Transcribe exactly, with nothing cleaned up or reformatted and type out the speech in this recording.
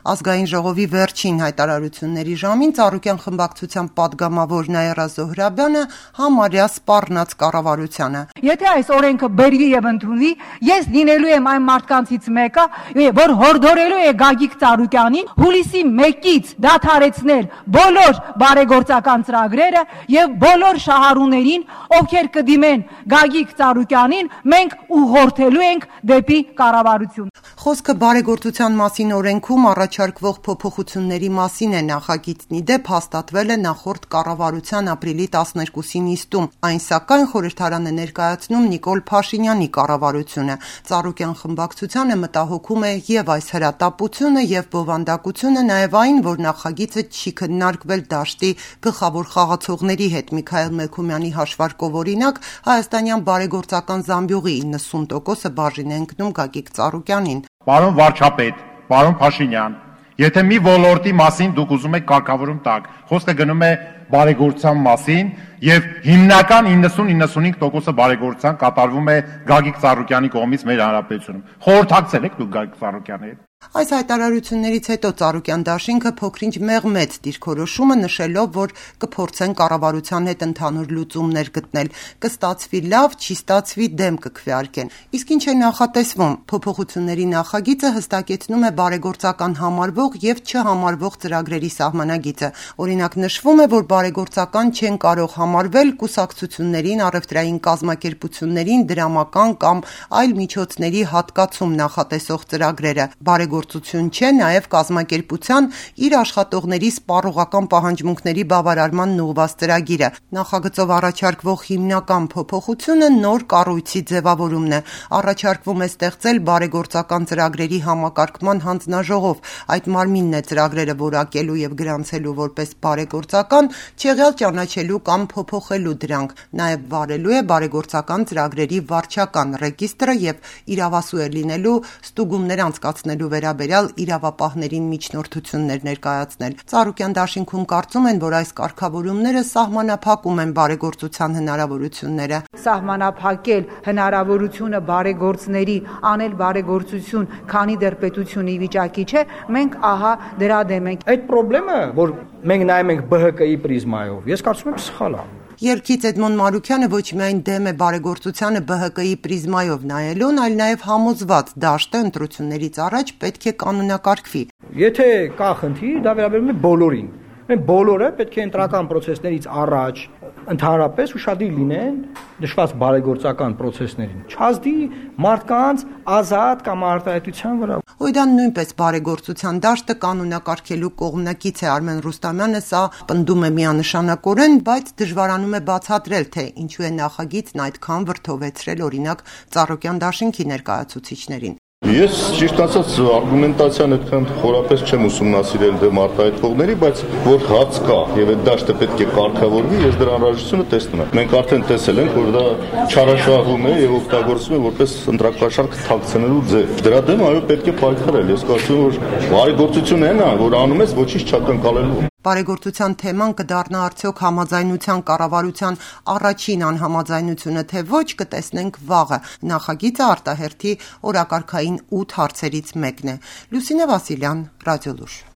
Ազգային ժողովի վերջին հայտարարությունների ժամին Ծառուկյան խմբակցության падգամավոր Նաիրա Զոհրաբյանը համարյա սպառնաց կառավարությանը. Եթե այս օրենքը բերվի եւ ընդունվի, ես լինելու եմ այն մարդկանցից մեկը, որ հորդորելու է Գագիկ Ծառուկյանին հուլիսի մեկից դադարեցնել բոլոր բարեգործական ծրագրերը եւ բոլոր շահառուներին, ովքեր կդիմեն Գագիկ Ծառուկյանին, մենք ուղղորդելու ենք դեպի կառավարություն։ Խոսքը բարեգործության մասին օրենքում առաջարկվող փոփոխությունների մասին է նախագիծն ի դեպ հաստատվել է նախորդ կառավարության ապրիլի տասներկուսի նիստում, այն սակայն խորհրդարանը ներկայացնում Նիկոլ Փաշինյանի կառավարությունը։ Ծառուկյան խմբակցությանը մտահոգում է եւ այս հրատապությունը եւ բովանդակությունը, նաեւ այն, որ նախագիծը չի քննարկվել դաշտի գլխավոր խաղացողների հետ։ Միքայել Մելքումյանի հաշվարկով օրինակ հայաստանյան բարեգործական զամբյուղի իննսուն տոկոսը բաժին է ընկնում Գագիկ Ծառուկյանին։ Պարոն վարչապետ, պարոն Փաշինյան, եթե մի ոլորտի մասին դուք ուզում եք կարգավորում տակ, խոսքը գնում է բարեգործության մասին եւ հիմնական իննսուն-իննսունհինգ տոկոսը բարեգործության կատարվում է Գագիկ Ծառուկյանի կողմից մեր հանրապետությունում։ Խորհրդակցել եք դուք Գագիկ Ծառուկյանի հետ։ Այս հայտարարություններից հետո Ծառուկյան դաշինքը փոքրինչ մեղմեց դիրքորոշումը, նշելով, որ կփորձեն կառավարության հետ ընդհանուր լուծումներ գտնել, կստացվի լավ, չի ստացվի դեմ կքվեարկեն։ Իսկ ինչ է նախատեսվում։ Փոփոխությունների նախագիծը հստակեցնում է բարեգործական համարվող եւ չհամարվող ծրագրերի սահմանագիծը։ Օրինակ նշվում է, որ բարեգործական չեն կարող համարվել կուսակցություններին, առևտրային կազմակերպություններին, դրամական կամ այլ միջոցների հատկացում նախատեսող ծրագրերը։ Բարեգործություն չէ նաև կազմակերպության իր աշխատողների սպառողական պահանջմունքների բավարարման ուղղված ծրագիրը։ Նախագծով առաջարկվող հիմնական փոփոխությունը նոր կառույցի ձևավորումն է։ Առաջարկվում է ստեղծել բարեգործական ծրագրերի համակարգման հանձնաժողով։ Այդ մարմինն է ծրագրերը որակելու եւ գրանցելու որպես բարեգործական, չեղյալ ճանաչելու կամ փոփոխելու դրանք։ Նաև վարելու է բարեգործական ծրագրերի վարչական ռեգիստրը եւ իրավասու է լինելու ստուգումներ անցկացնելու վերաբերյալ իրավապահներին միջնորդություններ ներկայացնել։ Ծառուկյան դաշինքում կարծում են, որ այս կարգավորումները սահմանափակում են բարեգործության հնարավորությունները։ Սահմանափակել հնարավորությունը բարեգործների անել բարեգործություն, քանի դեռ պետությունը ի վիճակի չէ, մենք ահա դրա դեմ ենք։ Այդ խնդրը, որ մենք նայում ենք B H K-ի պրիզմայով, ես կարծում եմ սխալ է։ Երգից Էդմոն Մարուքյանը ոչ միայն դեմ է բարեգործությանը B H K-ի պրիզմայով նայելուն, այլ նաև համոզված դաշտը ընտրություններից առաջ պետք է կանոնակարգվի։ Եթե կա խնդիր, դա վերաբերում է բոլորին։ Մենք բոլորը պետք է ընտրական process-ներից առաջ ընդհանրապես ուշադիր լինեն նշված բարեգործական process-ներին։ Չազդի մարդկանց ազատ կամ արտահայտության վրա։ Հույդան նույնպես բարեգործության դաշտը կանոնակարգելու կողմնակից է։ Արմեն Ռուստամյանը սա պնդում է միանշանակորեն, բայց դժվարանում է բացատրել, թե ինչու է նախագիծն այդքան վրդովեցրել օրինակ Ծառուկյան դաշինքի ներկայացուցիչներին։ Ես ճիշտ ասած արգումենտացիան այդքան խորապես չեմ ուսումնասիրել դեմ արտահայտողների, բայց որ հաց կա եւ այդ դաշտը պետք է կարգավորվի, ես դրա անհրաժեշտությունը տեսնում եմ։ Մենք արդեն տեսել ենք, որ դա չարաշահվում է եւ օգտագործվում է որպես ընտրակաշառք թաքցնելու ձև։ Դրա դեմ այո պետք է պայքարել։ Ես կարծում եմ, որ բարեգործությունն է նա, որ անում ես ոչինչ չակնկալելու։ Բարեգործության թեման կդառնա արդյոք համաձայնության կառավարության առաջին անհամաձայնությունը, թե ոչ, կտեսնենք վաղը։ Նախագիծը արտահերթի օրակարգային ութ հարցերից մեկն է։ Լուսինե Վասիլյան, Ռադիոլուր։